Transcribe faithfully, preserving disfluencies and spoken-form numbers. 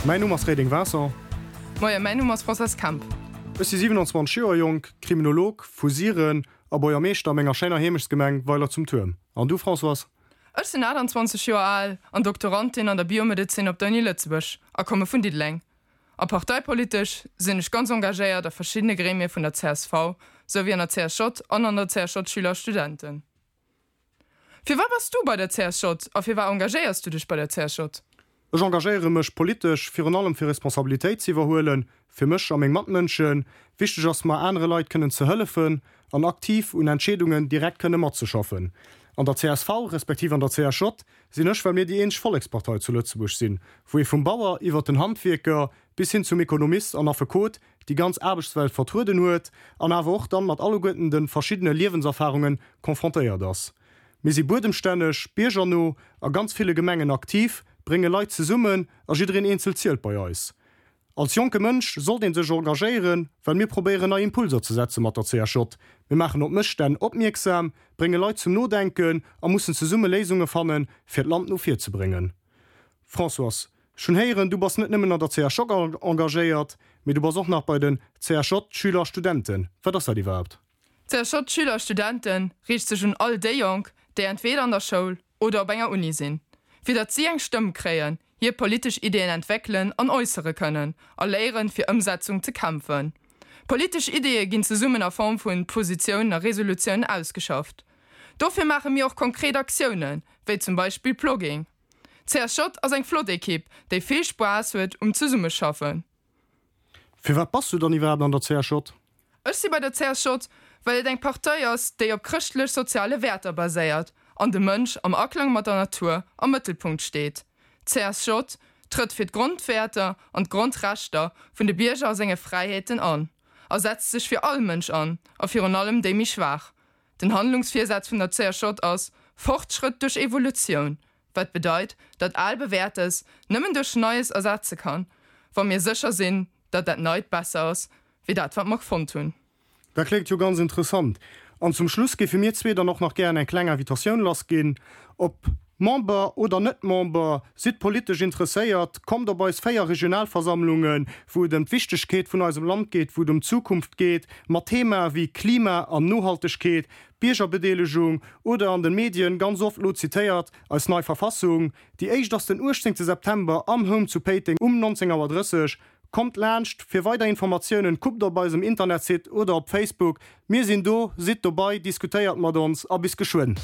Mäin Numm ass Reding Vincent. Moien, mäin Numm ass Françoise Kemp. Ech si siwenanzwanzeg Joer jonk, Kriminolog vu Siren a Buergermeeschter a menger schéiner Heemechtsgemeng Weiler zum Tuerm. An du, Françoise? Ech sinn aachtanzwanzeg Joer al an Doktorandin an der Biomedezin op der Uni Lëtzebuerg a komme vun Diddeleng. A parteipolitesch sinn ech ganz engagéiert a verschiddene Gremie vun der C S V, souwéi an der C S J an an der C S J Schüler a Studenten. Firwat bass du bei der C S J a firwat engagéiers du dech bei der C S J? Ech engagéiere mech politesch virun allem fir Responsabilitéit ze iwwerhuelen, fir mech a meng Matmënschen. Wichteg ass mer, anere Leit kënnen ze hëllefen an aktiv un Entscheedungen direkt kënne matzeschaffen. An der C S V respektiv an der C S J sinn ech, well mir déi eenzeg Vollekspartei zu Lëtzebuerg sinn, wou ee vum Bauer iwwert den Handwierker bis hin zum Ekonomist an Affekot déi ganz Aarbechtswelt vertrueden huet an awer och dann mat alleguerten de verschiddene Liewenserfarunge confrontéiert ass. Mir si buedemstänneg, biergerno, a ganz ville Gemengen aktiv, brénge Leit zesummen a jiddereen eenzel zielt bei eis. Als jonke Mënsch sollt een sech engagéieren, well mir probéieren nei Impulser ze setze mat der C S J. Mir maachen op Mësstänn opmierksam, brénge Leit zum Nodenken a mussen zesumme Léisunge fannen, fir d'Land no vir ze bréngen. Françoise, ech hunn héieren, du bass net nëmmen an der C S J engagéiert, mee du bass och nach bei den C S J Schüler a Studenten. Wat ass dat iwwerhaapt? C S J Schüler a Studenten riicht sech un all déi Jonk, déi entweder an der Schoul oder op enger Uni sinn, fir datt si eng Stëmm kréien, hir politesch Ideeën entwéckelen an äussere kënnen a léieren, fir Ëmsetzung ze kämpfen. Politesch Ideeë ginn zesummen a Form vun Positiounen a Resolutiounen ausgeschafft. Dofir maache mir och konkret Aktiounen, wéi zum Beispill Plogging. C S J ass eng flott Ekipp, déi vill Spaass huet um Zesummeschaffen. Firwat bass du dann iwwerhaapt an der C S J? Ech si bei der C S J, well et eng Partei ass, déi op chrëschtlech-soziale Wäerter baséiert an de Mënsch am Aklang mat der Natur am Mëttelpunkt steet. C S J trëtt fir d'Grondwäerter an d'Grondrechter vun de Bierger a senge Fräiheeten an a setzt sech fir all Mënsch an a virun allem déi méi schwaach. Den Handlungsvirsaz vun der C S J ass Fortschrëtt duerch Evolutioun, wat bedeit, datt al Bewäertes nëmmen duerch Neies ersetze kann, wa mir sécher sinn, datt dat Neit besser ass wéi dat, wat mer fonnt hunn. Dat kléngt jo ganz interessant. An zum Schluss géife mir zwee dann och nach gären eng kleng Invitatioun lassginn. Ob Member oder net Member, sidd politesch interesséiert, kommt op eis véier Regionalversammlungen, wou et ëm d'Wichtegkeet vun eisem Land geet, wou et ëm d'Zukunft geet, mat Themae wéi Klima an Nohaltegkeet, Biergerbedeelegung oder an den Medien ganz oft lo zitéiert, eis nei Verfassung. Déi éischt ass den uechtzéngte September am Home zu Péiteng um neunzéng Auer drësseg. Kommt laanscht, fir weider Informatiounen kuckt op eisem Internetsite oder op Facebook. Mir sinn do, sidd dobei, diskutéiert mat ons a bis geschwënn.